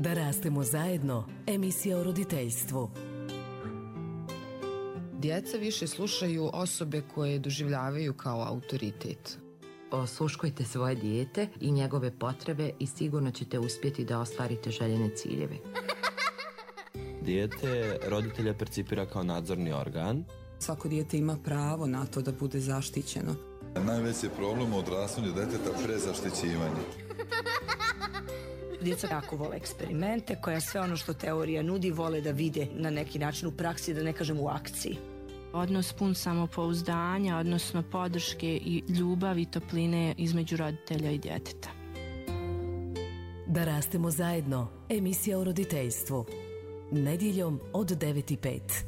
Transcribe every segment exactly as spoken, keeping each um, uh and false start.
Da rastemo zajedno, emisija o roditeljstvu. Djeca više slušaju osobe koje doživljavaju kao autoritet. Osluškujte svoje dijete i njegove potrebe i sigurno ćete uspjeti da ostvarite željene ciljeve. Dijete roditelja percipira kao nadzorni organ. Svako dijete ima pravo na to da bude zaštićeno. Najveći je problem u odrastanju djeteta prezaštićivanje. Djeca jako vole eksperimente, koja sve ono što teorija nudi vole da vide na neki način u praksi, da ne kažem u akciji. Odnos pun samopouzdanja, odnosno podrške i ljubavi i topline između roditelja i djeteta. Da rastemo zajedno, emisija o roditeljstvu. Nedjeljom od devet i pet.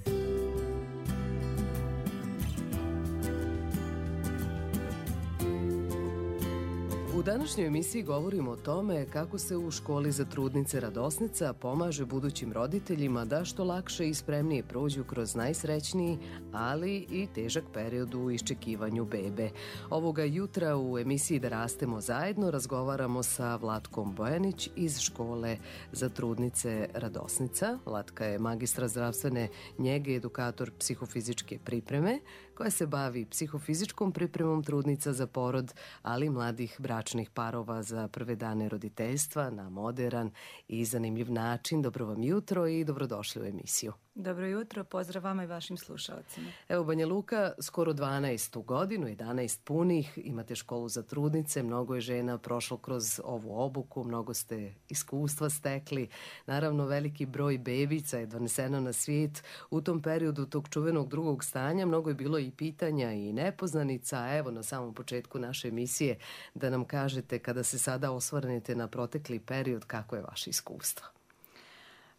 U današnjoj emisiji govorimo o tome kako se u školi za trudnice Radosnica pomaže budućim roditeljima da što lakše i spremnije prođu kroz najsrećniji, ali i težak period u iščekivanju bebe. Ovoga jutra u emisiji Da rastemo zajedno razgovaramo sa Vlatkom Bojanić iz škole za trudnice Radosnica. Vlatka je magistra zdravstvene njege, edukator psihofizičke pripreme, koja se bavi psihofizičkom pripremom trudnica za porod, ali i mladih bračnih parova za prve dane roditeljstva na moderan i zanimljiv način. Dobro vam jutro i dobrodošli u emisiju. Dobro jutro, pozdrav vama i vašim slušalcima. Evo, Banja Luka, skoro dvanaestu godinu, jedanaest punih, imate školu za trudnice, mnogo je žena prošlo kroz ovu obuku, mnogo ste iskustva stekli, naravno veliki broj bebica je doneseno na svijet. U tom periodu tog čuvenog drugog stanja mnogo je bilo i pitanja i nepoznanica. Evo, na samom početku naše emisije da nam kažete, kada se sada osvrnete na protekli period, kako je vaše iskustvo?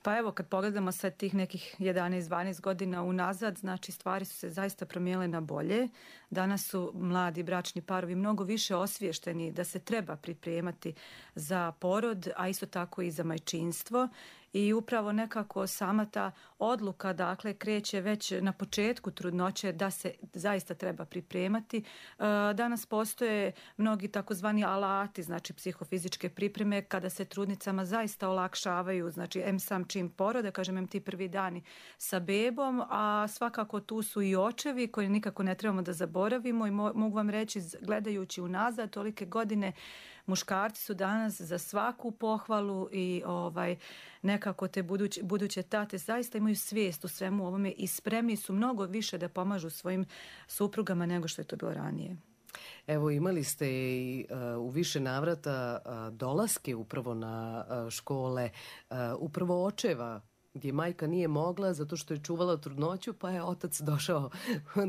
Pa evo, kad pogledamo sad tih nekih jedanaest dvanaest godina unazad, znači stvari su se zaista promijenile na bolje. Danas su mladi bračni parovi mnogo više osviješteni da se treba pripremati za porod, a isto tako i za majčinstvo. I upravo nekako sama ta odluka, dakle, kreće već na početku trudnoće da se zaista treba pripremati. Danas postoje mnogi takozvani alati, znači psihofizičke pripreme, kada se trudnicama zaista olakšavaju, znači em sam čim porode, kažem em ti prvi dani sa bebom, a svakako tu su i očevi koji nikako ne trebamo da zaboravimo i mo- mogu vam reći, gledajući unazad tolike godine, muškarci su danas za svaku pohvalu i ovaj nekako te buduće, buduće tate zaista imaju svijest u svemu ovome i spremni su mnogo više da pomažu svojim suprugama nego što je to bilo ranije. Evo, imali ste i uh, u više navrata uh, dolaske upravo na uh, škole, uh, upravo očeva, gdje majka nije mogla zato što je čuvala trudnoću, pa je otac došao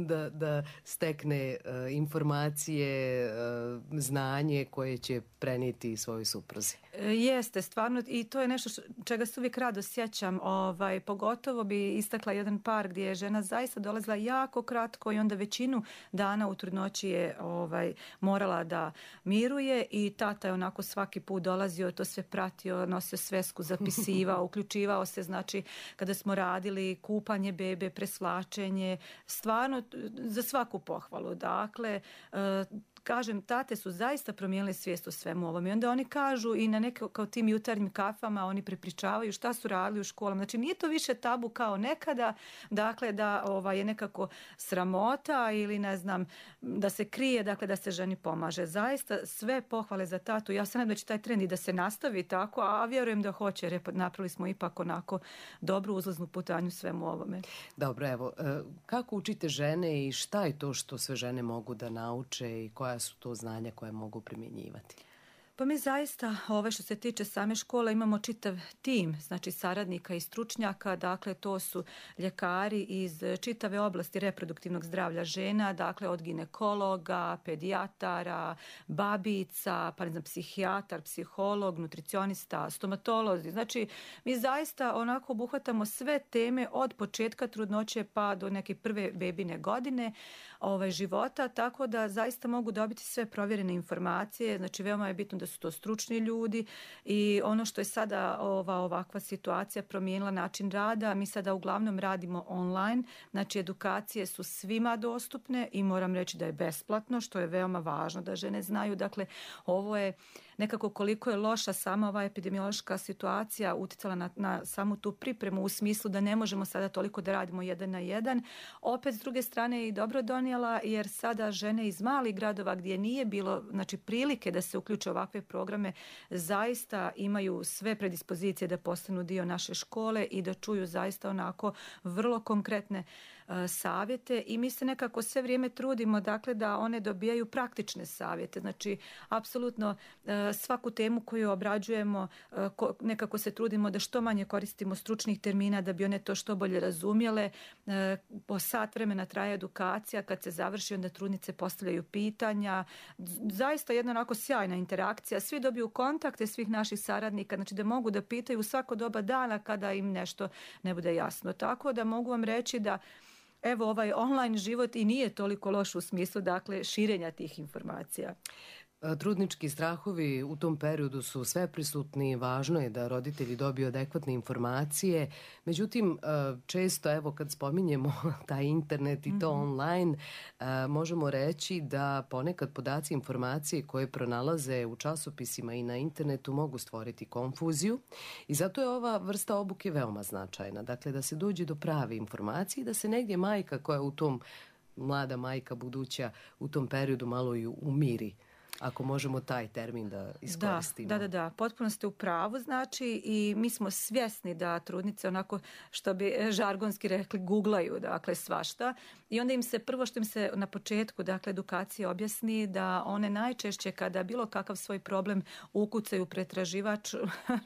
da, da stekne uh, informacije, uh, znanje koje će prenijeti svojoj supruzi. E, jeste, stvarno, i to je nešto što, čega se uvijek rado sjećam. Ovaj, pogotovo bi istakla jedan par gdje je žena zaista dolazila jako kratko i onda većinu dana u trudnoći je ovaj, morala da miruje i tata je onako svaki put dolazio, to sve pratio, nosio svesku, zapisivao, uključivao se, znači kada smo radili kupanje bebe, presvlačenje, stvarno za svaku pohvalu. Dakle, kažem, tate su zaista promijenile svijest o svemu ovom i onda oni kažu i na neke kao tim jutarnjim kafama oni prepričavaju šta su radili u školama. Znači nije to više tabu kao nekada, dakle da ovaj, je nekako sramota ili ne znam da se krije, dakle da se ženi pomaže. Zaista sve pohvale za tatu. Ja se nadam da će taj trend i da se nastavi tako, a vjerujem da hoće jer napravili smo ipak onako dobru uzlaznu putanju svemu ovome. Dobro, evo, kako učite žene i šta je to što sve žene mogu da nauče i koja su to znanja koje mogu primjenjivati? Pa mi zaista, ove što se tiče same škole, imamo čitav tim, znači saradnika i stručnjaka, dakle to su ljekari iz čitave oblasti reproduktivnog zdravlja žena, dakle od ginekologa, pedijatara, babica, pa ne znam, psihijatar, psiholog, nutricionista, stomatolozi. Znači mi zaista onako obuhvatamo sve teme od početka trudnoće pa do neke prve bebine godine ovaj, života, tako da zaista mogu dobiti sve provjerene informacije, znači veoma je bitno da da su to stručni ljudi i ono što je sada ova ovakva situacija promijenila način rada, mi sada uglavnom radimo online, znači edukacije su svima dostupne i moram reći da je besplatno, što je veoma važno da žene znaju. Dakle, ovo je nekako koliko je loša sama ova epidemiološka situacija utjecala na, na samu tu pripremu u smislu da ne možemo sada toliko da radimo jedan na jedan. Opet s druge strane je i dobro donijela jer sada žene iz malih gradova gdje nije bilo znači, prilike da se uključe ovakve programe zaista imaju sve predispozicije da postanu dio naše škole i da čuju zaista onako vrlo konkretne uh, savjete i mi se nekako sve vrijeme trudimo dakle da one dobijaju praktične savjete. Znači apsolutno uh, svaku temu koju obrađujemo uh, ko, nekako se trudimo da što manje koristimo stručnih termina da bi one to što bolje razumjele. Uh, po sat vremena traje edukacija, kad se završi onda trudnice postavljaju pitanja. Zaista jedna onako sjajna interakcija. Svi dobiju kontakte svih naših saradnika, znači da mogu da pitaju svako doba dana kada im nešto ne bude jasno. Tako da mogu vam reći da evo ovaj online život i nije toliko loš u smislu dakle širenja tih informacija. Trudnički strahovi u tom periodu su sve prisutni, važno je da roditelji dobiju adekvatne informacije. Međutim, često evo kad spominjemo taj internet i to online, možemo reći da ponekad podaci informacije koje pronalaze u časopisima i na internetu mogu stvoriti konfuziju i zato je ova vrsta obuke veoma značajna. Dakle, da se dođe do prave informacije i da se negdje majka koja u tom, mlada majka buduća u tom periodu malo i umiri. Ako možemo taj termin da iskoristimo. Da, da, da, potpuno ste u pravu, znači i mi smo svjesni da trudnice onako što bi žargonski rekli googlaju, dakle svašta i onda im se prvo što im se na početku dakle edukacije objasni da one najčešće kada bilo kakav svoj problem ukucaju pretraživač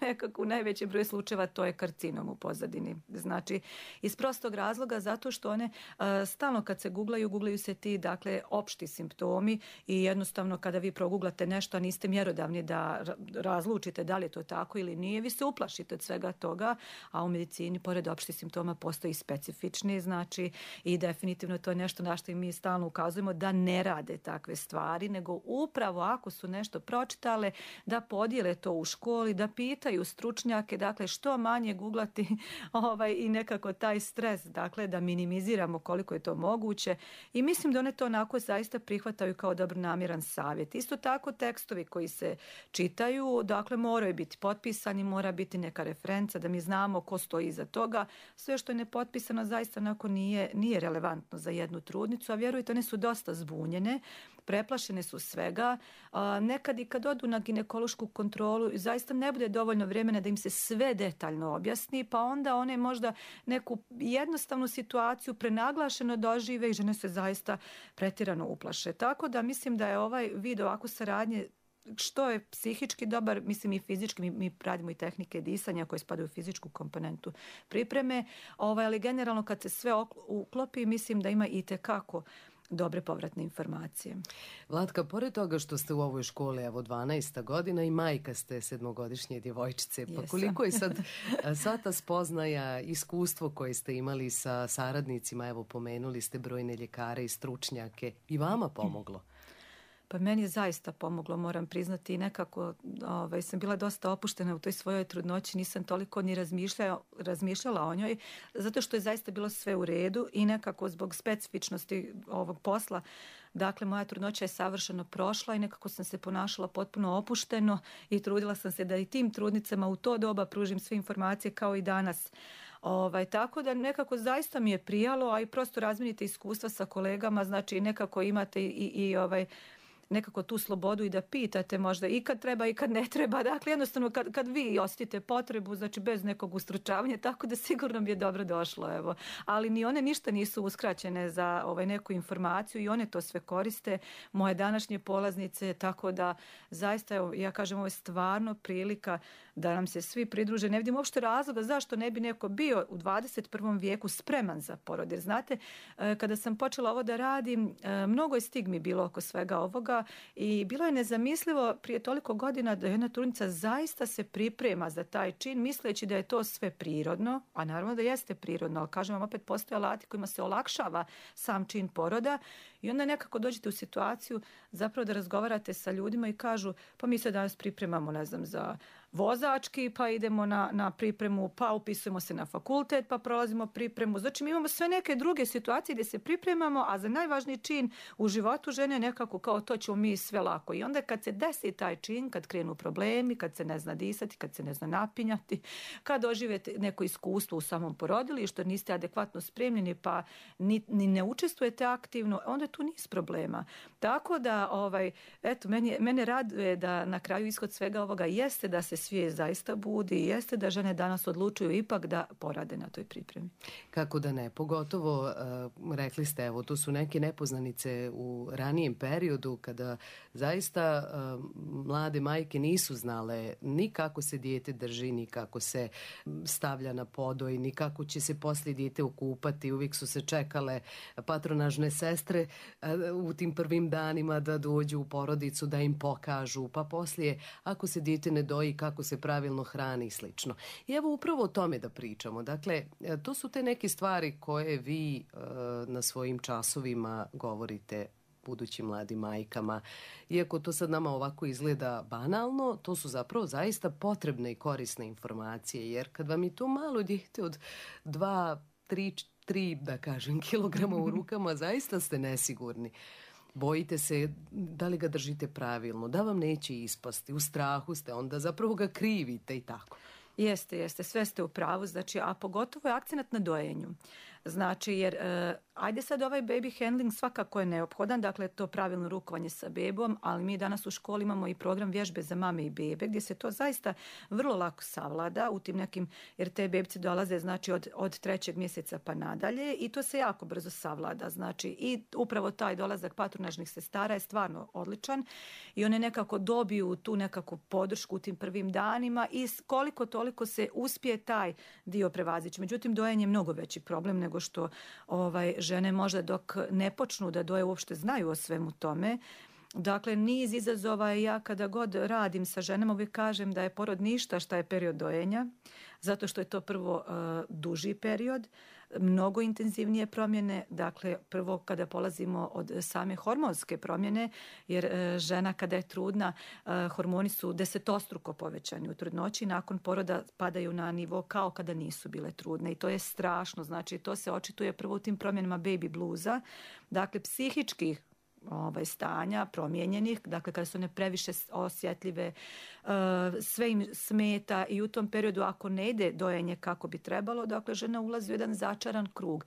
nekako u najvećem broju slučajeva to je karcinom u pozadini. Znači iz prostog razloga zato što one uh, stalno kad se googlaju, googlaju se ti dakle opšti simptomi i jednostavno kada vi proguglate nešto, a niste mjerodavni da razlučite da li je to tako ili nije, vi se uplašite od svega toga, a u medicini pored opštih simptoma postoji specifični, znači i definitivno to je nešto na što mi stalno ukazujemo da ne rade takve stvari, nego upravo ako su nešto pročitale, da podijele to u školi, da pitaju stručnjake, dakle što manje guglati ovaj, i nekako taj stres, dakle da minimiziramo koliko je to moguće i mislim da one to onako zaista prihvataju kao dobronamjeran savjet. Isto tako tekstovi koji se čitaju, dakle moraju biti potpisani, mora biti neka referenca da mi znamo ko stoji iza toga. Sve što je nepotpisano zaista onako nije, nije relevantno za jednu trudnicu, a vjerujte, one su dosta zbunjene, preplašene su svega. A, nekad i kad odu na ginekološku kontrolu, zaista ne bude dovoljno vremena da im se sve detaljno objasni, pa onda one možda neku jednostavnu situaciju prenaglašeno dožive i žene se zaista pretjerano uplaše. Tako da mislim da je ovaj vid ovako saradnje što je psihički dobar, mislim i fizički, mi, mi radimo i tehnike disanja koje spadaju u fizičku komponentu pripreme, ovaj, ali generalno kad se sve uklopi, mislim da ima i tekako dobre povratne informacije. Vlatka, pored toga što ste u ovoj školi evo dvanaesta godina i majka ste sedmogodišnje djevojčice, pa koliko je sad sva ta spoznaja, iskustvo koje ste imali sa saradnicima, evo pomenuli ste brojne ljekare i stručnjake, i vama pomoglo? Pa meni je zaista pomoglo, moram priznati, i nekako ovaj, sam bila dosta opuštena u toj svojoj trudnoći, nisam toliko ni razmišljala, razmišljala o njoj, zato što je zaista bilo sve u redu i nekako zbog specifičnosti ovog posla, dakle moja trudnoća je savršeno prošla i nekako sam se ponašala potpuno opušteno i trudila sam se da i tim trudnicama u to doba pružim sve informacije kao i danas. Ovaj, tako da nekako zaista mi je prijalo, a i prosto razminite iskustva sa kolegama, znači nekako imate i, i ovaj, nekako tu slobodu i da pitate možda i kad treba i kad ne treba. Dakle, jednostavno kad, kad vi osjetite potrebu, znači bez nekog ustručavanja, tako da sigurno mi je dobro došlo. Evo. Ali ni one ništa nisu uskraćene za ovaj, neku informaciju i one to sve koriste. Moje današnje polaznice, tako da zaista, evo, ja kažem, ovo je stvarno prilika da nam se svi pridruže. Ne vidim uopšte razloga zašto ne bi neko bio u dvadeset prvom vijeku spreman za porod. Jer znate, kada sam počela ovo da radim, mnogo je stigmi bilo oko svega ovoga i bilo je nezamislivo prije toliko godina da jedna trudnica zaista se priprema za taj čin misleći da je to sve prirodno, a naravno da jeste prirodno, ali kažem vam opet postoje alati kojima se olakšava sam čin poroda I onda nekako dođete u situaciju zapravo da razgovarate sa ljudima i kažu pa mi se danas pripremamo, ne znam, za vozački, pa idemo na, na pripremu, pa upisujemo se na fakultet, pa prolazimo pripremu. Znači mi imamo sve neke druge situacije gdje se pripremamo, a za najvažniji čin u životu žene nekako kao to ćemo mi sve lako. I onda kad se desi taj čin, kad krenu problemi, kad se ne zna disati, kad se ne zna napinjati, kad doživete neko iskustvo u samom porodilištu, niste adekvatno spremljeni pa ni, ni ne učestvujete aktivno, onda tu niz problema. Tako da, ovaj, eto, meni, mene raduje da na kraju ishod svega ovoga jeste da se svijest zaista budi i jeste da žene danas odlučuju ipak da porade na toj pripremi. Kako da ne, pogotovo uh, rekli ste, evo, to su neke nepoznanice u ranijem periodu kada zaista uh, mlade majke nisu znale ni kako se dijete drži, ni kako se stavlja na podoj, ni kako će se poslije dijete okupati. Uvijek su se čekale patronažne sestre uh, u tim prvim danima da dođu u porodicu, da im pokažu, pa poslije ako se dijete ne doji, kako se pravilno hrani i slično. I evo upravo o tome da pričamo. Dakle, to su te neke stvari koje vi uh, na svojim časovima govorite budućim mladim majkama. Iako to sad nama ovako izgleda banalno, to su zapravo zaista potrebne i korisne informacije, jer kad vam je to malo dijete od dva, tri, tri, da kažem, kilograma u rukama, zaista ste nesigurni. Bojite se da li ga držite pravilno, da vam neće ispasti, u strahu ste, onda zapravo ga krivite i tako. Jeste, jeste, sve ste u pravu, znači, a pogotovo je akcenat na dojenju. Znači, jer, uh, ajde sad ovaj baby handling svakako je neophodan, dakle to pravilno rukovanje sa bebom, ali mi danas u školi imamo i program vježbe za mame i bebe, gdje se to zaista vrlo lako savlada u tim nekim, jer te bebice dolaze, znači, od, od trećeg mjeseca pa nadalje i to se jako brzo savlada, znači, i upravo taj dolazak patronažnih sestara je stvarno odličan i one nekako dobiju tu nekakvu podršku u tim prvim danima i koliko toliko se uspije taj dio prevazići. Međutim, dojenje je mnogo veći problem nego što ovaj, žene možda dok ne počnu da doje uopšte znaju o svemu tome. Dakle, niz izazova i ja kada god radim sa ženama uvijek kažem da je porod ništa šta je period dojenja, zato što je to prvo uh, duži period, mnogo intenzivnije promjene, dakle prvo kada polazimo od same hormonske promjene, jer uh, žena kada je trudna, uh, hormoni su desetostruko povećani u trudnoći, nakon poroda padaju na nivo kao kada nisu bile trudne i to je strašno, znači to se očituje prvo u tim promjenama baby bluza, dakle psihičkih ovaj, stanja promijenjenih, dakle kada su one previše osjetljive, uh, sve im smeta i u tom periodu ako ne ide dojenje kako bi trebalo, dakle žena ulazi u jedan začaran krug.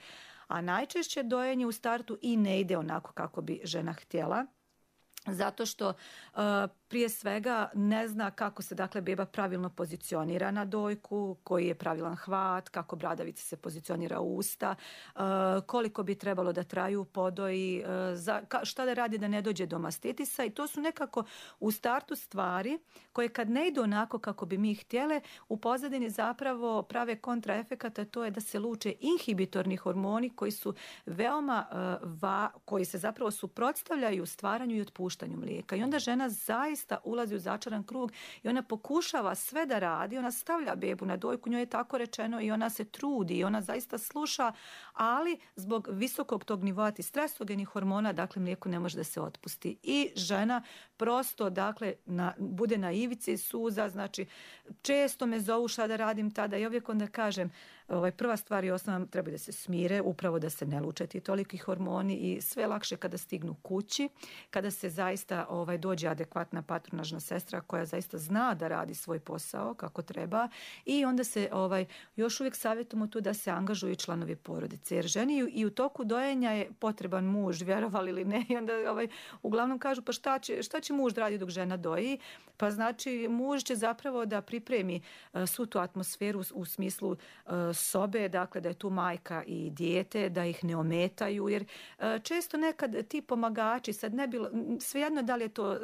A najčešće dojenje u startu i ne ide onako kako bi žena htjela, zato što uh, prije svega ne zna kako se dakle beba pravilno pozicionira na dojku, koji je pravilan hvat, kako bradavica se pozicionira u usta, uh, koliko bi trebalo da traju podoji, uh, za, ka, šta da radi da ne dođe do mastitisa i to su nekako u startu stvari koje kad ne idu onako kako bi mi htjele, u pozadini zapravo prave kontraefekata, to je da se luče inhibitorni hormoni koji su veoma uh, va, koji se zapravo suprotstavljaju stvaranju i otpuštanju mlijeka. I onda žena zaista ulazi u začaran krug i ona pokušava sve da radi, ona stavlja bebu na dojku, njoj je tako rečeno i ona se trudi i ona zaista sluša, ali zbog visokog tog nivoa tih stresogenih hormona, dakle mlijeko ne može da se otpusti. I žena prosto, dakle, na, bude na ivici suza, znači često me zovu šta da radim tada i uvijek onda kažem, ovaj, prva stvar i osnovna treba da se smire, upravo da se ne luče ti toliki hormoni i sve lakše kada stignu kući, kada se zaista ovaj, dođe adekvatna patronažna sestra koja zaista zna da radi svoj posao kako treba i onda se ovaj, još uvijek savjetujemo tu da se angažuju članovi porodice, jer ženi i u toku dojenja je potreban muž, vjerovali ili ne, i onda ovaj, uglavnom kažu pa šta će, šta će muž da radi dok žena doji, pa znači muž će zapravo da pripremi uh, svu tu atmosferu u, u smislu uh, sobe, dakle da je tu majka i dijete, da ih ne ometaju, jer uh, često nekad ti pomagači, sad ne bilo, svejedno da li je to uh,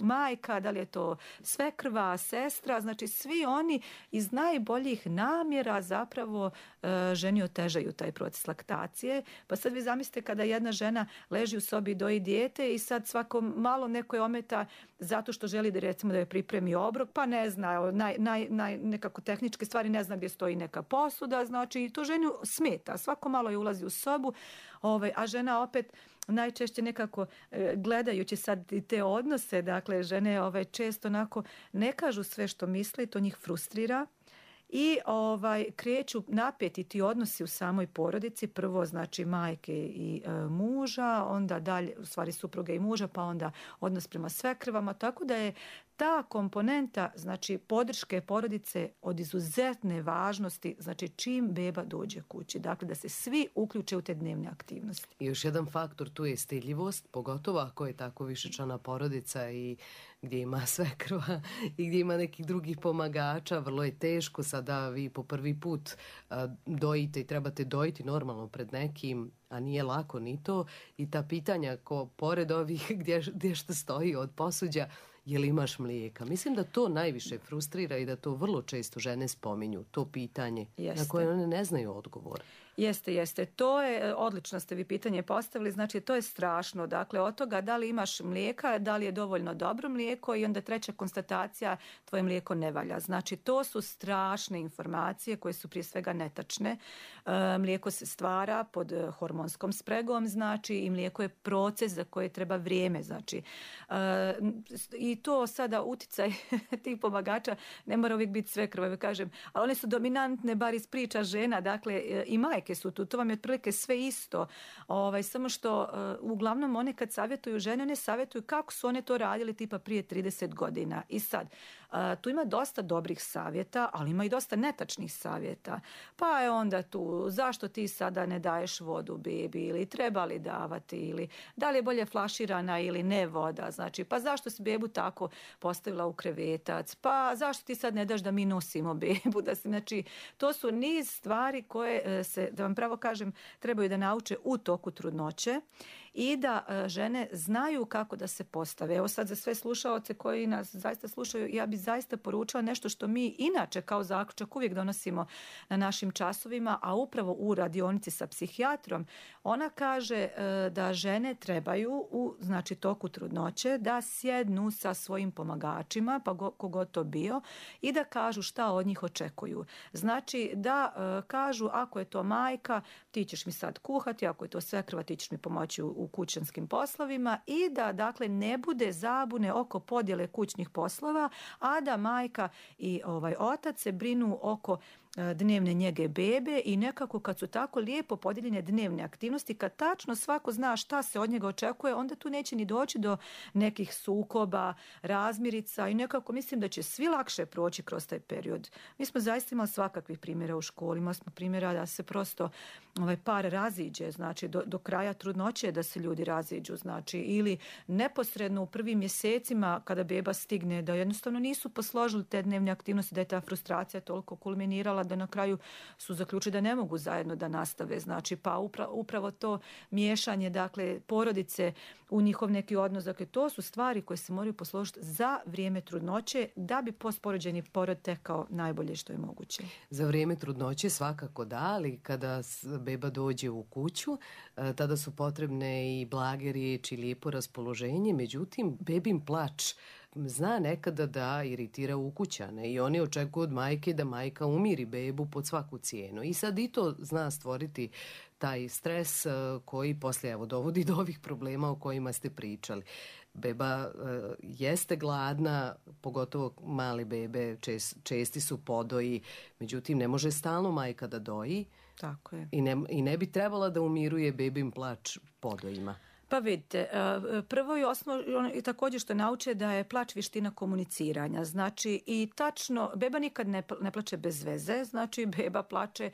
majka, da li je to svekrva, sestra, znači svi oni iz najboljih namjera zapravo uh, ženi otežaju taj proces laktacije, pa sad vi zamislite kada jedna žena leži u sobi i doji dijete i sad svako malo neko je ometa zato što želi da recimo da je pripremi obrok, pa ne zna, naj, naj, naj, nekako tehničke stvari, ne zna gdje stoji neka posuda, znači to ženu smeta, svako malo je ulazi u sobu, ovaj, a žena opet najčešće nekako gledajući sad i te odnose, dakle žene ovaj, često onako ne kažu sve što misle i to njih frustrira. I ovaj, kreću napeti ti odnosi u samoj porodici, prvo znači majke i e, muža, onda dalje, u stvari supruge i muža, pa onda odnos prema svekrvama, tako da je ta komponenta, znači podrške porodice od izuzetne važnosti, znači čim beba dođe kući, dakle da se svi uključe u te dnevne aktivnosti. I još jedan faktor tu je stidljivost, pogotovo ako je tako višečlana porodica i gdje ima svekrva i gdje ima nekih drugih pomagača, vrlo je teško sada vi po prvi put a, dojite i trebate dojiti normalno pred nekim, a nije lako ni to, i ta pitanja ko pored ovih gdje, gdje što stoji od posuđa, je li imaš mlijeka? Mislim da to najviše frustrira i da to vrlo često žene spominju, to pitanje Jeste. Na koje one ne znaju odgovor. Jeste, jeste. To je, odlično ste vi pitanje postavili, znači to je strašno. Dakle, od toga da li imaš mlijeka, da li je dovoljno dobro mlijeko i onda treća konstatacija, tvoje mlijeko ne valja. Znači, to su strašne informacije koje su prije svega netačne. E, mlijeko se stvara pod hormonskom spregom, znači i mlijeko je proces za koje treba vrijeme. Znači, e, i to sada uticaj tih pomagača ne mora uvijek biti svekrva, kažem, ali one su dominantne bar iz priča žena, dakle i majke su tu, to vam je otprilike sve isto, ovaj, samo što uh, uglavnom one kad savjetuju žene, one savjetuju kako su one to radili tipa prije trideset godina. I sad, uh, tu ima dosta dobrih savjeta, ali ima i dosta netačnih savjeta. Pa je onda tu, zašto ti sada ne daješ vodu bebi, ili treba li davati, ili da li je bolje flaširana ili ne voda, znači, pa zašto si bebu tako postavila u krevetac, pa zašto ti sad ne daš da mi nosimo bebu, da si, znači, to su niz stvari koje se, da vam pravo kažem, trebaju da nauče u toku trudnoće i da uh, žene znaju kako da se postave. Evo sad za sve slušaoce koji nas zaista slušaju, ja bi zaista poručila nešto što mi inače kao zaključak uvijek donosimo na našim časovima, a upravo u radionici sa psihijatrom. Ona kaže uh, da žene trebaju u znači toku trudnoće da sjednu sa svojim pomagačima, pa go, kogod to bio, i da kažu šta od njih očekuju. Znači da uh, kažu ako je to majka, ti ćeš mi sad kuhati, ako je to svekrva, ti ćeš mi pomoći u, u kućanskim poslovima, i da dakle ne bude zabune oko podjele kućnih poslova, a da majka i ovaj otac se brinu oko dnevne njege bebe i nekako kad su tako lijepo podijeljene dnevne aktivnosti, kad tačno svako zna šta se od njega očekuje, onda tu neće ni doći do nekih sukoba, razmirica i nekako mislim da će svi lakše proći kroz taj period. Mi smo zaista imali svakakvih primjera u školi, imali smo primjera da se prosto ovaj par raziđe, znači do, do kraja trudnoće da se ljudi raziđu, znači ili neposredno u prvim mjesecima kada beba stigne da jednostavno nisu posložili te dnevne aktivnosti, da je ta frustracija toliko kulminirala da na kraju su zaključili da ne mogu zajedno da nastave. Znači, pa upravo, upravo to miješanje, dakle, porodice u njihov neki odnos, dakle, to su stvari koje se moraju posložiti za vrijeme trudnoće da bi postporođeni porod tekao najbolje što je moguće. Za vrijeme trudnoće svakako da, ali kada beba dođe u kuću, tada su potrebne i blage riječi, lijepo raspoloženje, međutim, bebin plač zna nekada da iritira ukućane i oni očekuju od majke da majka umiri bebu pod svaku cijenu. I sad i to zna stvoriti taj stres koji poslije evo dovodi do ovih problema o kojima ste pričali. Beba uh, jeste gladna, pogotovo mali bebe, čest, česti su podoji, međutim ne može stalno majka da doji. Tako je. I ne, i ne bi trebala da umiruje bebin plač podojima. Pa vidite, prvo i osnovno i također što nauče da je plač vještina komuniciranja. Znači i tačno, beba nikad ne, ne plače bez veze, znači beba plače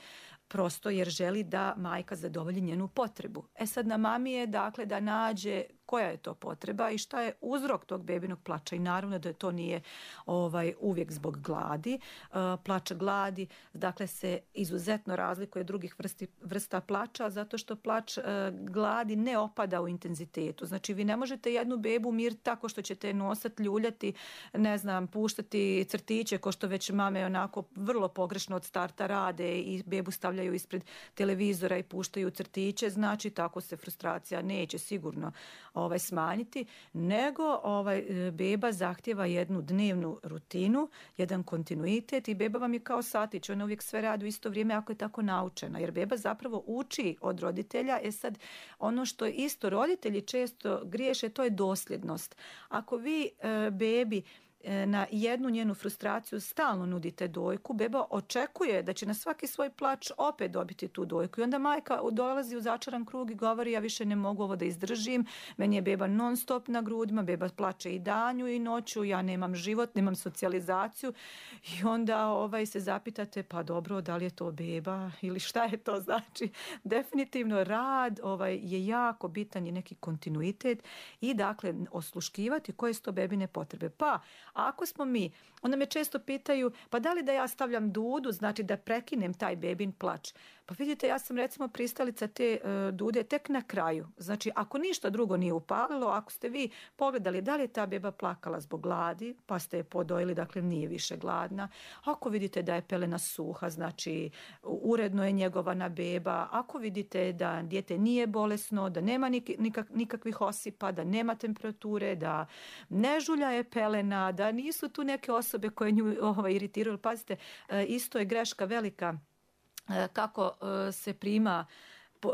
prosto jer želi da majka zadovolji njenu potrebu. E sad na mami je dakle da nađe koja je to potreba i šta je uzrok tog bebinog plača i naravno da to nije ovaj uvijek zbog gladi. Uh, plač gladi dakle se izuzetno razlikuje od drugih vrsti, vrsta plača zato što plač uh, gladi ne opada u intenzitetu. Znači vi ne možete jednu bebu umiriti tako što ćete nosati, ljuljati, ne znam, puštati crtiće ko što već mame onako vrlo pogrešno od starta rade i bebu stavljaju ispred televizora i puštaju crtiće. Znači tako se frustracija neće sigurno ovaj, smanjiti, nego ovaj, beba zahtjeva jednu dnevnu rutinu, jedan kontinuitet i beba vam je kao satić, ona uvijek sve radi u isto vrijeme ako je tako naučena, jer beba zapravo uči od roditelja. E sad, ono što isto roditelji često griješe, to je dosljednost. Ako vi e, bebi na jednu njenu frustraciju stalno nudite dojku, beba očekuje da će na svaki svoj plač opet dobiti tu dojku i onda majka dolazi u začaran krug i govori ja više ne mogu ovo da izdržim, meni je beba non stop na grudima, beba plače i danju i noću, ja nemam život, nemam socijalizaciju i onda ovaj, se zapitate pa dobro, da li je to beba ili šta je to, znači definitivno rad ovaj, je jako bitan i neki kontinuitet i dakle osluškivati koje su to bebine potrebe. Pa a ako smo mi, onda me često pitaju, pa da li da ja stavljam dudu, znači da prekinem taj bebin plač? Pa vidite, ja sam recimo pristalica te uh, dude tek na kraju. Znači, ako ništa drugo nije upalilo, ako ste vi pogledali da li je ta beba plakala zbog gladi, pa ste je podojili, dakle nije više gladna. Ako vidite da je pelena suha, znači uredno je njegovana beba. Ako vidite da dijete nije bolesno, da nema nik- nikak- nikakvih osipa, da nema temperature, da ne žulja je pelena, da nisu tu neke osobe koje nju ovaj, iritiraju. Pazite, uh, isto je greška velika kako se prima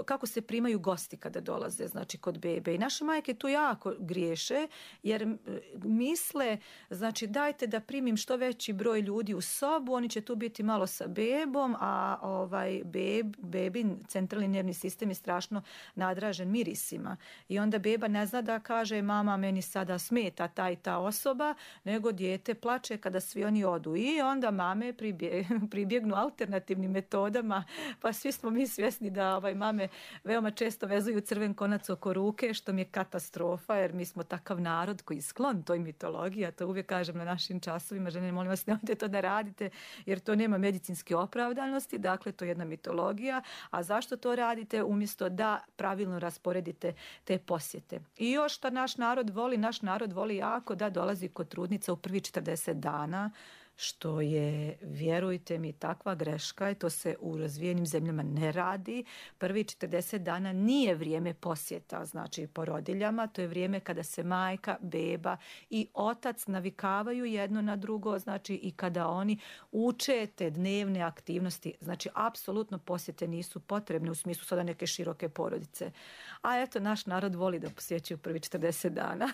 kako se primaju gosti kada dolaze, znači kod bebe. I naše majke tu jako griješe jer misle, znači dajte da primim što veći broj ljudi u sobu, oni će tu biti malo sa bebom, a ovaj beb, bebin centralni nervni sistem je strašno nadražen mirisima. I onda beba ne zna da kaže mama meni sada smeta ta i ta osoba, nego dijete plače kada svi oni odu. I onda mame pribje, pribjegnu alternativnim metodama, pa svi smo mi svjesni da ovaj mame veoma često vezuju crven konac oko ruke, što mi je katastrofa, jer mi smo takav narod koji je sklon toj mitologiji, a to uvijek kažem na našim časovima, žene, molim vas, nemojte to da radite, jer to nema medicinske opravdanosti, dakle, to je jedna mitologija, a zašto to radite? Umjesto da pravilno rasporedite te posjete. I još što naš narod voli, naš narod voli jako da dolazi kod trudnica u prvi četrdeset dana, što je, vjerujte mi, takva greška i to se u razvijenim zemljama ne radi. Prvi četrdeset dana nije vrijeme posjeta, znači porodiljama, to je vrijeme kada se majka, beba i otac navikavaju jedno na drugo, znači i kada oni uče te dnevne aktivnosti, znači apsolutno posjete nisu potrebne u smislu sada neke široke porodice. A eto, naš narod voli da posjećaju prvi četrdeset dana.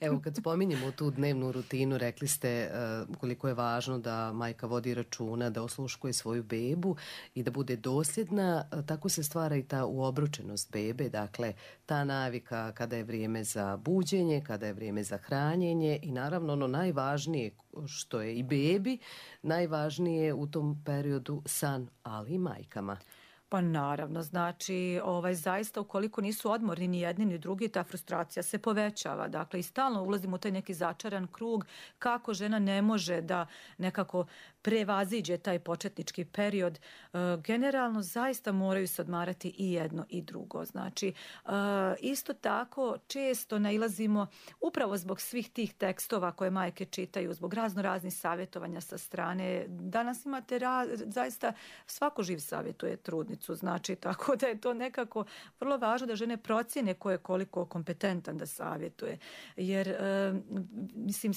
Evo, kad spominjemo tu dnevnu rutinu, rekli ste uh, koliko je važno da majka vodi računa, da osluškuje svoju bebu i da bude dosljedna, tako se stvara i ta uobručenost bebe, dakle ta navika kada je vrijeme za buđenje, kada je vrijeme za hranjenje i naravno ono najvažnije što je i bebi, najvažnije u tom periodu san, ali i majkama. Pa naravno, znači ovaj, zaista ukoliko nisu odmorni ni jedni ni drugi, ta frustracija se povećava. Dakle, i stalno ulazimo u taj neki začaran krug kako žena ne može da nekako prevaziđe taj početnički period. E, generalno, zaista moraju se odmarati i jedno i drugo. Znači, e, isto tako često nailazimo upravo zbog svih tih tekstova koje majke čitaju, zbog razno raznih savjetovanja sa strane. Danas imate raz, zaista svako živ savjetuje trudnicu. Znači, tako da je to nekako vrlo važno da žene procjene ko je koliko kompetentan da savjetuje. Jer, e, mislim,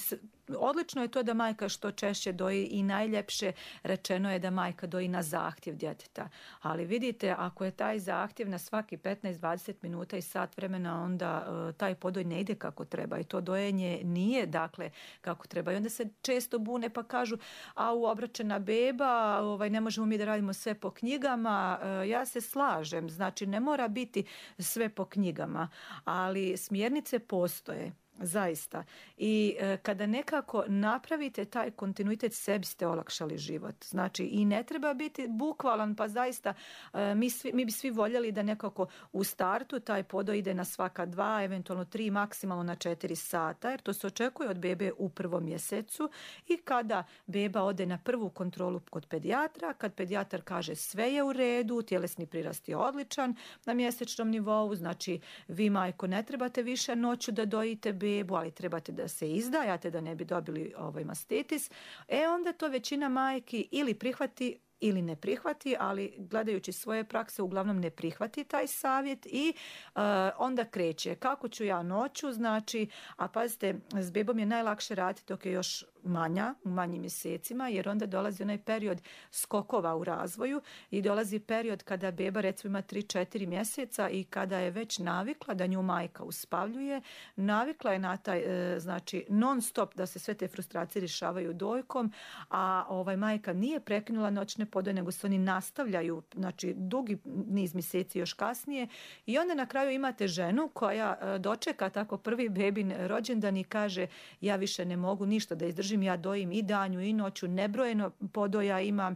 odlično je to da majka što češće doji i najljepše rečeno je da majka doji na zahtjev djeteta. Ali vidite, ako je taj zahtjev na svaki petnaest dvadeset minuta i sat vremena, onda e, taj podoj ne ide kako treba i to dojenje nije, dakle, kako treba. I onda se često bune pa kažu, a u obraćena beba, ovaj, ne možemo mi da radimo sve po knjigama. E, ja se slažem, znači ne mora biti sve po knjigama, ali smjernice postoje. Zaista. I e, kada nekako napravite taj kontinuitet, sebi ste olakšali život. Znači i ne treba biti bukvalan, pa zaista e, mi, svi, mi bi svi voljeli da nekako u startu taj podoj ide na svaka dva, eventualno tri, maksimalno na četiri sata, jer to se očekuje od bebe u prvom mjesecu i kada beba ode na prvu kontrolu kod pedijatra, kad pedijatar kaže sve je u redu, tjelesni prirast je odličan na mjesečnom nivou, znači vi majko ne trebate više noću da dojite bebu, ali trebate da se izdajate da ne bi dobili ovaj mastitis, e onda to većina majki ili prihvati ili ne prihvati, ali gledajući svoje prakse uglavnom ne prihvati taj savjet i uh, onda kreće. Kako ću ja noću, znači, a pazite, s bebom je najlakše raditi dok je još manja, u manjim mjesecima, jer onda dolazi onaj period skokova u razvoju i dolazi period kada beba recimo ima tri četiri mjeseca i kada je već navikla da nju majka uspavljuje, navikla je na taj, e, znači, non stop da se sve te frustracije rješavaju dojkom, a ovaj majka nije prekinula noćne podoje, nego se oni nastavljaju, znači, dugi niz mjeseci još kasnije i onda na kraju imate ženu koja e, dočeka tako prvi bebin rođendan i kaže ja više ne mogu ništa da izdržim, ja dojim i danju i noću, nebrojeno podoja imam,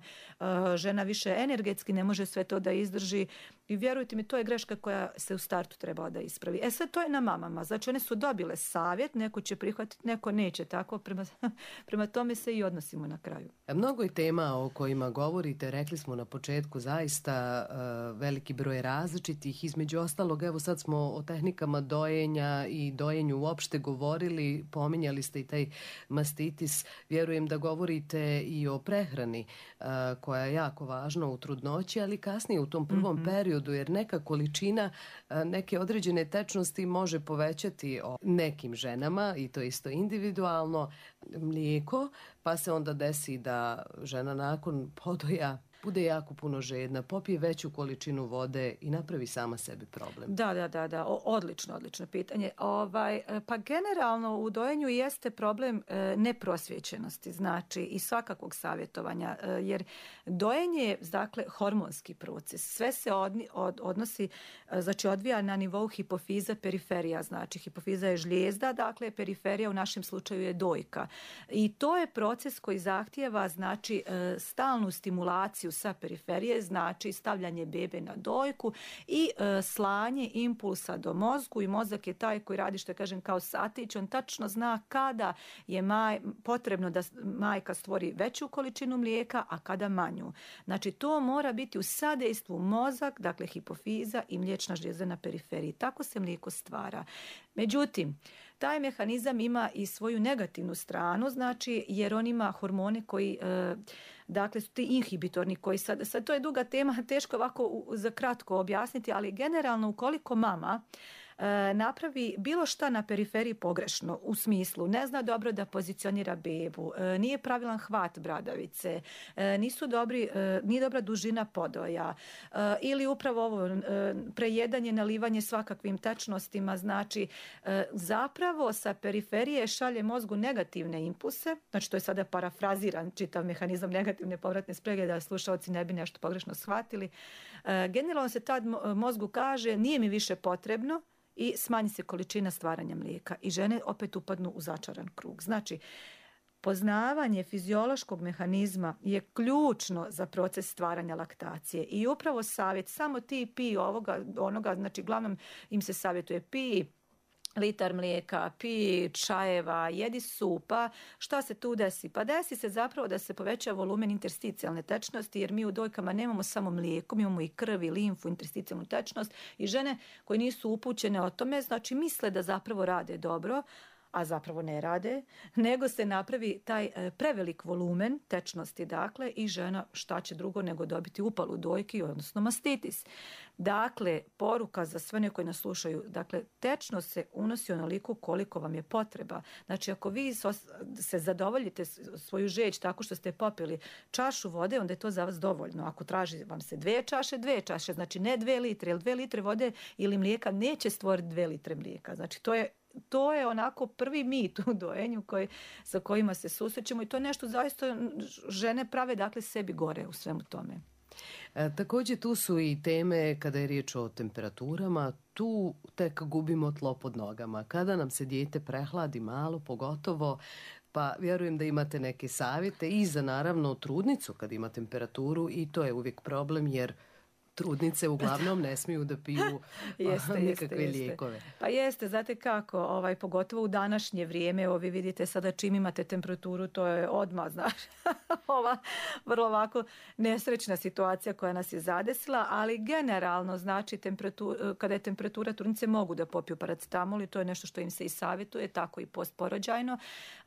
žena više energetski ne može sve to da izdrži i vjerujte mi, to je greška koja se u startu trebala da ispravi. E sad to je na mamama, znači one su dobile savjet, neko će prihvatiti, neko neće, tako prema, prema tome se i odnosimo na kraju. Mnogo je tema o kojima govorite, rekli smo na početku, zaista uh, veliki broj različitih, između ostalog, evo sad smo o tehnikama dojenja i dojenju uopšte govorili, pominjali ste i taj mastitis, vjerujem da govorite i o prehrani uh, koja je jako važna u trudnoći, ali kasnije u tom prvom mm-hmm. periodu, jer neka količina neke određene tečnosti može povećati o nekim ženama i to isto individualno mlijeko, pa se onda desi da žena nakon podoja bude jako puno žedna, popije veću količinu vode i napravi sama sebi problem. Da, da, da, da. O, odlično, odlično pitanje. Ovaj, pa generalno u dojenju jeste problem e, neprosvjećenosti, znači i svakakvog savjetovanja, e, jer dojenje je, dakle, hormonski proces. Sve se odni, od, odnosi, e, znači odvija na nivou hipofiza, periferija, znači hipofiza je žlijezda, dakle periferija u našem slučaju je dojka. I to je proces koji zahtijeva, znači, e, stalnu stimulaciju sa periferije, znači stavljanje bebe na dojku i e, slanje impulsa do mozgu i mozak je taj koji radi, što kažem, kao satić, on tačno zna kada je maj, potrebno da majka stvori veću količinu mlijeka, a kada manju. Znači to mora biti u sadejstvu mozak, dakle hipofiza i mliječna žlijezda na periferiji. Tako se mlijeko stvara. Međutim, taj mehanizam ima i svoju negativnu stranu, znači jer on ima hormone koji, e, dakle, su ti inhibitorni koji sad, sad to je duga tema, teško ovako u, za kratko objasniti, ali generalno ukoliko mama e, napravi bilo šta na periferiji pogrešno, u smislu ne zna dobro da pozicionira bebu, e, nije pravilan hvat bradavice, e, nisu dobri, e, nije dobra dužina podoja e, ili upravo ovo e, prejedanje, nalivanje svakakvim tečnostima, znači e, zapravo sa periferije šalje mozgu negativne impulse, znači to je sada parafraziran čitav mehanizam negativne povratne sprege da slušalci ne bi nešto pogrešno shvatili. E, generalno se tad mozgu kaže nije mi više potrebno i smanji se količina stvaranja mlijeka i žene opet upadnu u začaran krug. Znači, poznavanje fiziološkog mehanizma je ključno za proces stvaranja laktacije i upravo savjet, samo ti pij ovoga, onoga, znači glavnom im se savjetuje pij litar mlijeka, pij čajeva, jedi supa, šta se tu desi? Pa desi se zapravo da se poveća volumen intersticijalne tečnosti, jer mi u dojkama nemamo samo mlijeko, mi imamo i krv i limfu, intersticijalnu tečnost i žene koje nisu upućene o tome, znači misle da zapravo rade dobro, a zapravo ne rade, nego se napravi taj prevelik volumen tečnosti, dakle, i žena šta će drugo nego dobiti upalu dojki, odnosno mastitis. Dakle, poruka za sve one koji nas slušaju, dakle, tečnost se unosi onoliko koliko vam je potreba. Znači, ako vi se zadovoljite svoju žeđ tako što ste popili čašu vode, onda je to za vas dovoljno. Ako traži vam se dve čaše, dve čaše, znači ne dve litre, jer dve litre vode ili mlijeka neće stvoriti dve litre mlijeka. Znači, to je To je onako prvi mit u dojenju koji, sa kojima se susrećemo i to je nešto zaista žene prave, dakle, sebi gore u svemu tome. E, također tu su i teme kada je riječ o temperaturama, tu tek gubimo tlo pod nogama. Kada nam se dijete prehladi malo, pogotovo, pa vjerujem da imate neke savjete i za naravno trudnicu kad ima temperaturu i to je uvijek problem jer trudnice uglavnom ne smiju da piju jeste, nikakve jeste, lijekove. Jeste. Pa jeste, znate kako, ovaj, pogotovo u današnje vrijeme, evo vi vidite sada čim imate temperaturu, to je odmah, znaš, ova vrlo ovako nesrećna situacija koja nas je zadesila, ali generalno, znači, temperatura, kada je temperatura, trudnice mogu da popiju paracetamol i to je nešto što im se i savjetuje, tako i postporođajno.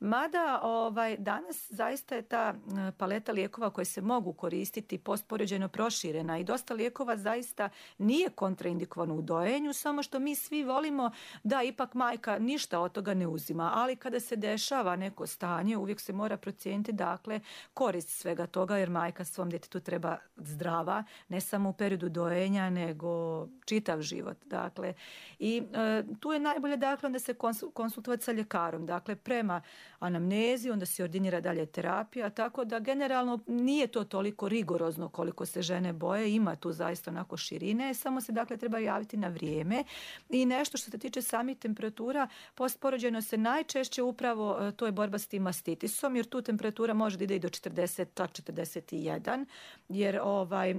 Mada ovaj, danas zaista je ta paleta lijekova koje se mogu koristiti postporođajno proširena i dosta lijekova zaista nije kontraindikovano u dojenju, samo što mi svi volimo da ipak majka ništa od toga ne uzima, ali kada se dešava neko stanje uvijek se mora procijeniti dakle korist svega toga jer majka svom djetetu treba zdrava, ne samo u periodu dojenja nego čitav život. Dakle, i e, tu je najbolje dakle onda se konsultovati sa ljekarom, dakle prema anamnezi, onda se ordinira dalje terapija, tako da generalno nije to toliko rigorozno koliko se žene boje, ima tu zaista onako širine, samo se dakle treba javiti na vrijeme. I nešto što se tiče samih temperatura, postporođajno se najčešće upravo, to je borba s tim mastitisom, jer tu temperatura može da ide i do četrdeset, četrdeset jedan, jer ovaj,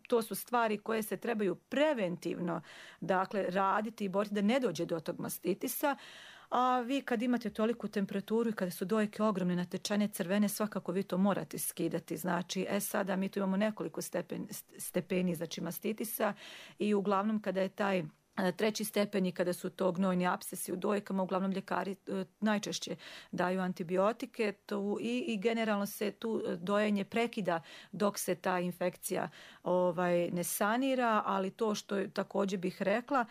to su stvari koje se trebaju preventivno dakle raditi i boriti da ne dođe do tog mastitisa. A vi kad imate toliku temperaturu i kada su dojke ogromne, natečene, crvene, svakako vi to morate skidati. Znači, e sada mi tu imamo nekoliko stepen, stepeni znači mastitisa i uglavnom kada je taj treći stepen i kada su to gnojni apsesi u dojkama, uglavnom ljekari e, najčešće daju antibiotike tu, i, i generalno se tu dojenje prekida dok se ta infekcija ovaj, ne sanira, ali to što je, također bih rekla,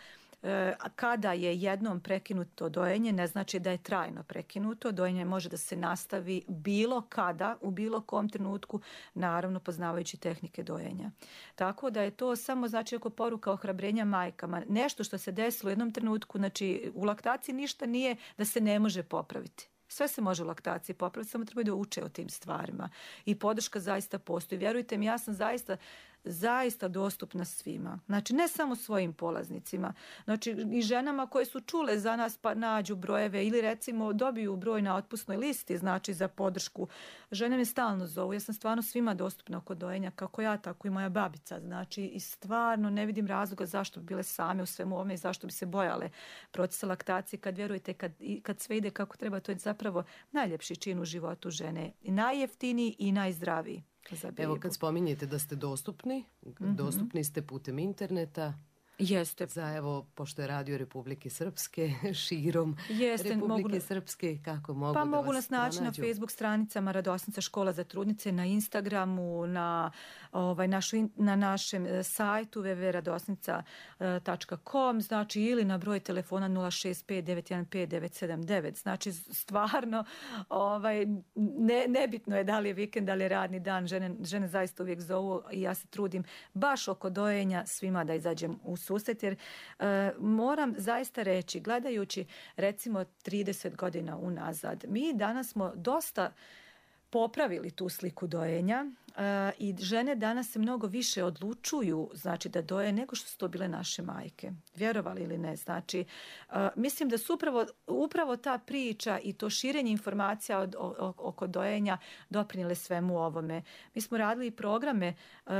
kada je jednom prekinuto dojenje, ne znači da je trajno prekinuto. Dojenje može da se nastavi bilo kada, u bilo kom trenutku, naravno poznavajući tehnike dojenja. Tako da je to samo znači oko poruka ohrabrenja majkama. Nešto što se desilo u jednom trenutku, znači u laktaciji ništa nije da se ne može popraviti. Sve se može u laktaciji popraviti, samo treba da uče o tim stvarima. I podrška zaista postoji. Vjerujte mi, ja sam zaista zaista dostupna svima. Znači, ne samo svojim polaznicima. Znači, i ženama koje su čule za nas pa nađu brojeve ili recimo dobiju broj na otpusnoj listi, znači za podršku. Žene me stalno zovu. Ja sam stvarno svima dostupna oko dojenja, kako ja, tako i moja babica. Znači, i stvarno ne vidim razloga zašto bi bile same u svemu ovome i zašto bi se bojale procesa laktacije. Kad vjerujete, kad, kad sve ide kako treba, to je zapravo najljepši čin u životu žene. I najjeftiniji i najzdraviji. Evo kad spominjete da ste dostupni, mm-hmm. dostupni ste putem interneta. Jeste. Za evo, pošto je Radio Republike Srpske, širom Jeste, Republike mogu, Srpske, kako mogu pa da mogu vas nas naći na Facebook stranicama Radosnica škola za trudnice, na Instagramu, na, ovaj, našu, na našem sajtu w w w tačka radosnica tačka com, znači ili na broj telefona nula šest pet devet jedan pet devet sedam devet. Znači stvarno ovaj, ne, nebitno je da li je vikend, da li je radni dan, žene, žene zaista uvijek zovu i ja se trudim baš oko dojenja svima da izađem u susret, jer e, moram zaista reći, gledajući recimo trideset godina unazad, mi danas smo dosta popravili tu sliku dojenja uh, i žene danas se mnogo više odlučuju znači da doje nego što su to bile naše majke. Vjerovali ili ne. Znači, uh, mislim da su upravo, upravo ta priča i to širenje informacija od, o, oko dojenja doprinijele svemu ovome. Mi smo radili programe uh,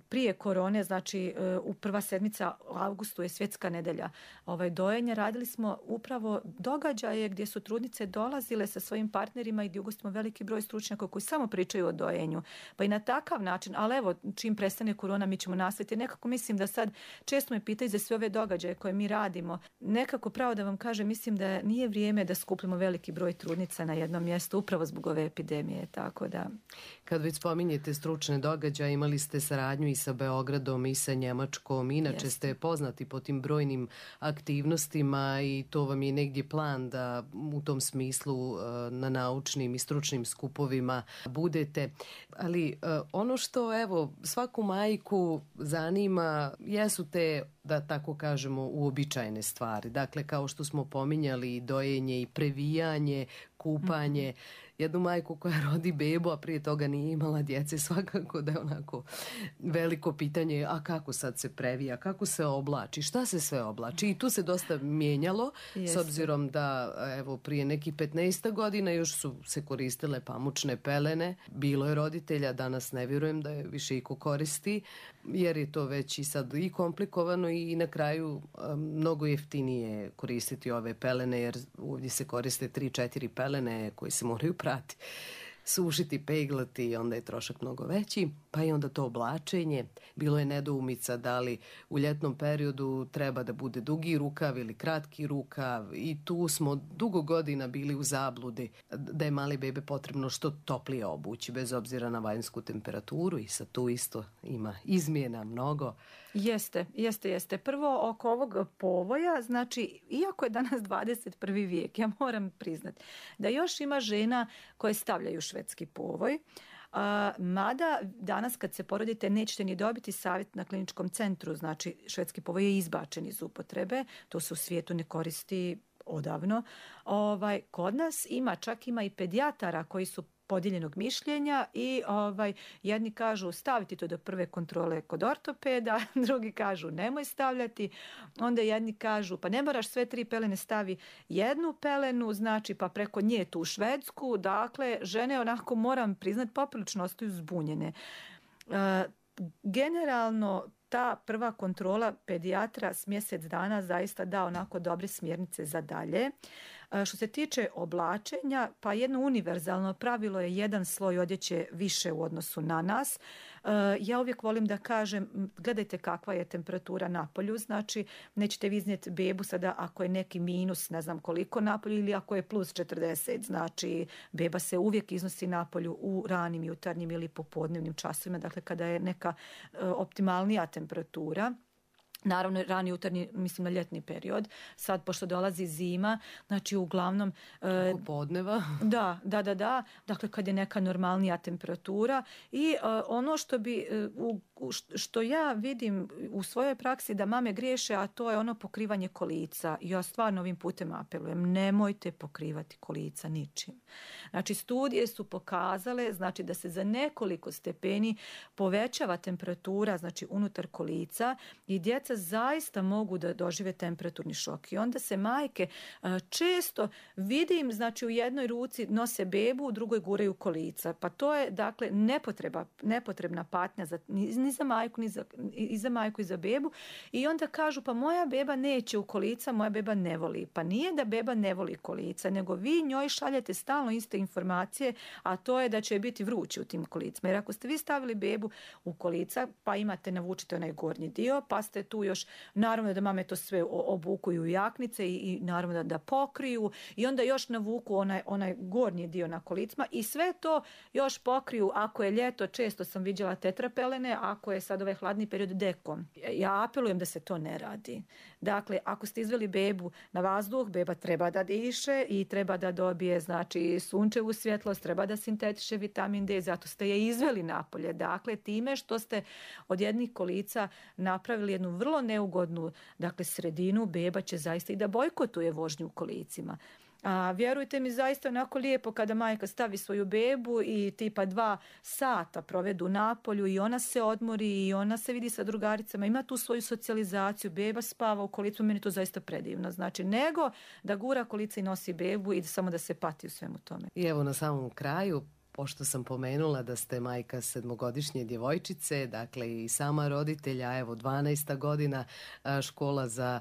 prije korone, znači uh, u prva sedmica u avgustu je svjetska nedelja ovaj, dojenja. Radili smo upravo događaje gdje su trudnice dolazile sa svojim partnerima i gdje ugostimo veliki broj stručnjaka koji samo pričaju o dojenju. Pa i na takav način, ali evo, čim prestane korona, mi ćemo nastaviti. Nekako mislim da sad, često me pitaju za sve ove događaje koje mi radimo. Nekako pravo da vam kažem, mislim da nije vrijeme da skupljamo veliki broj trudnica na jednom mjestu, upravo zbog ove epidemije. Tako da... Kad već spominjete stručne događaje, imali ste saradnju i sa Beogradom i sa Njemačkom. Inače Jeste. Ste poznati po tim brojnim aktivnostima i to vam je negdje plan da u tom smislu na naučnim i stručnim skupovima budete. Ali uh, ono što evo svaku majku zanima jesu te da tako kažemo, uobičajene stvari. Dakle, kao što smo pominjali, dojenje i previjanje, kupanje. Mm-hmm. Jednu majku koja rodi bebu, a prije toga nije imala djece, svakako da je onako veliko pitanje, a kako sad se previja, kako se oblači, šta se sve oblači. I tu se dosta mijenjalo, Jeste. s obzirom da evo prije nekih petnaest godina još su se koristile pamučne pelene. Bilo je roditelja, danas ne vjerujem da je više iko koristi, jer je to već i sad i komplikovano i na kraju mnogo jeftinije koristiti ove pelene, jer ovdje se koriste tri četiri pelene koji se moraju prati, sušiti, peglati i onda je trošak mnogo veći, pa i onda to oblačenje. Bilo je nedoumica da li u ljetnom periodu treba da bude dugi rukav ili kratki rukav i tu smo dugo godina bili u zabludi da je mali bebe potrebno što toplije obući bez obzira na vanjsku temperaturu i sad tu isto ima izmjena mnogo. Jeste, jeste, jeste. Prvo oko ovog povoja, znači iako je danas dvadeset prvi vijek, ja moram priznati da još ima žena koje stavljaju švedski povoj. Uh, mada danas kad se porodite nećete ni dobiti savjet na kliničkom centru, znači švedski povoj je izbačen iz upotrebe, to se u svijetu ne koristi odavno. Ovaj, kod nas ima, čak ima i pedijatara koji su podijeljenog mišljenja i ovaj, jedni kažu staviti to do prve kontrole kod ortopeda, drugi kažu nemoj stavljati, onda jedni kažu pa ne moraš sve tri pelene, stavi jednu pelenu, znači pa preko nje tu u Švedsku, dakle žene onako moram priznati poprilično ostaju zbunjene. E, generalno ta prva kontrola pedijatra s mjesec dana zaista da onako dobre smjernice za dalje. Što se tiče oblačenja, pa jedno univerzalno pravilo je jedan sloj odjeće više u odnosu na nas. Ja uvijek volim da kažem, gledajte kakva je temperatura na polju, znači nećete vi iznijeti bebu sada ako je neki minus, ne znam koliko na polju ili ako je plus četrdeset, znači beba se uvijek iznosi na polju u ranim jutarnjim ili popodnevnim časovima, dakle kada je neka optimalnija temperatura. Naravno, rani jutarnji, mislim na ljetni period. Sad, pošto dolazi zima, znači uglavnom... Oko podneva. Da, da, da, da. Dakle, kad je neka normalnija temperatura. I uh, ono što bi, uh, što ja vidim u svojoj praksi da mame griješe, a to je ono pokrivanje kolica. Ja stvarno ovim putem apelujem, nemojte pokrivati kolica ničim. Znači, studije su pokazale, znači da se za nekoliko stepeni povećava temperatura, znači unutar kolica i djeca zaista mogu da dožive temperaturni šok. I onda se majke često vidim, znači u jednoj ruci nose bebu, u drugoj guraju kolica. Pa to je dakle nepotreba, nepotrebna patnja za, ni za majku, ni za, i za majku i za bebu. I onda kažu pa moja beba neće u kolica, moja beba ne voli. Pa nije da beba ne voli kolica, nego vi njoj šaljete stalno iste informacije, a to je da će biti vrući u tim kolicima. Jer ako ste vi stavili bebu u kolica, pa imate, navučite onaj gornji dio, pa ste tu još, naravno da mame to sve obukuju u jaknice i, i naravno da, da pokriju i onda još navuku onaj, onaj gornji dio na kolicima i sve to još pokriju, ako je ljeto, često sam viđala tetrapelene, ako je sad ovaj hladni period dekom. Ja apelujem da se to ne radi. Dakle, ako ste izveli bebu na vazduh, beba treba da diše i treba da dobije, znači, sunčevu svjetlost, treba da sintetiše vitamin D, zato ste je izveli napolje. Dakle, time što ste od jednih kolica napravili jednu vrlo neugodnu, dakle, sredinu, beba će zaista i da bojkotuje vožnju u kolicima. A vjerujte mi, zaista onako lijepo kada majka stavi svoju bebu i tipa dva sata provedu napolju i ona se odmori i ona se vidi sa drugaricama, ima tu svoju socijalizaciju, beba spava u kolicu, meni to zaista predivno. Znači, nego da gura kolica i nosi bebu i samo da se pati u svemu tome. I evo na samom kraju, pošto sam pomenula da ste majka sedmogodišnje djevojčice, dakle i sama roditelja, evo dvanaesta godina, škola za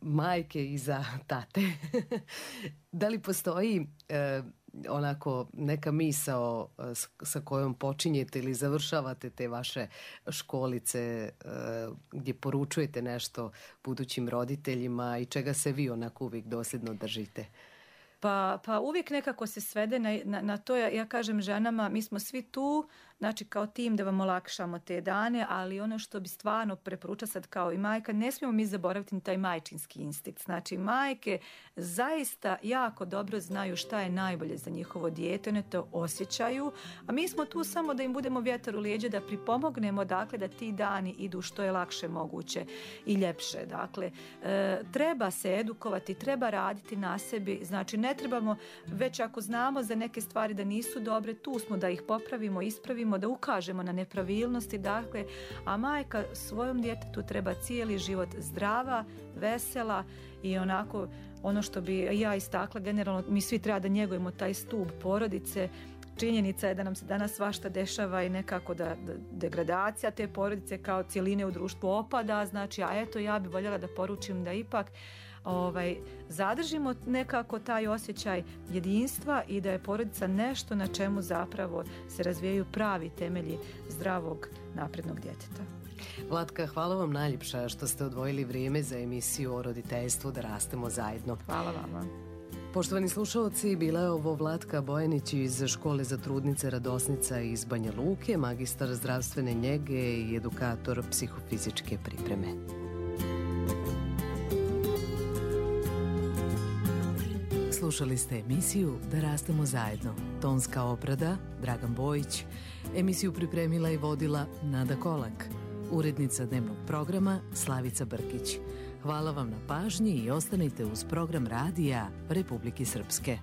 majke i za tate. Da li postoji eh, onako neka misao eh, sa kojom počinjete ili završavate te vaše školice eh, gdje poručujete nešto budućim roditeljima i čega se vi onako uvijek dosljedno držite? Pa, pa uvijek nekako se svede na, na, na to, ja, ja kažem ženama, mi smo svi tu znači kao tim da vam olakšamo te dane, ali ono što bi stvarno preporučila sad kao i majka, ne smijemo mi zaboraviti taj majčinski instinkt. Znači majke zaista jako dobro znaju šta je najbolje za njihovo dijete, one to osjećaju, a mi smo tu samo da im budemo vjetar u lijeđe, da pripomognemo dakle da ti dani idu što je lakše moguće i ljepše. Dakle, e, treba se edukovati, treba raditi na sebi, znači ne trebamo, već ako znamo za neke stvari da nisu dobre, tu smo da ih popravimo, ispravimo, da ukažemo na nepravilnosti, dakle, a majka svojom djetetu treba cijeli život zdrava, vesela i onako, ono što bi ja istakla, generalno mi svi treba da njegujemo taj stup porodice. Činjenica je da nam se danas svašta dešava i nekako da, da degradacija te porodice kao cjeline u društvu opada, znači, a eto ja bi voljela da poručim da ipak ovaj, zadržimo nekako taj osjećaj jedinstva i da je porodica nešto na čemu zapravo se razvijaju pravi temelji zdravog naprednog djeteta. Vlatka, hvala vam najljepša što ste odvojili vrijeme za emisiju o roditeljstvu Da rastemo zajedno. Hvala vama. Poštovani slušalci, bila je ovo Vlatka Bojanić iz Škole za trudnice Radosnica iz Banja Luke, magistar zdravstvene njege i edukator psihofizičke pripreme. Slušali ste emisiju Da rastemo zajedno. Tonska obrada Dragan Bojić. Emisiju pripremila i vodila Nada Kolak. Urednica dnevnog programa Slavica Brkić. Hvala vam na pažnji i ostanite uz program radija Republike Srpske.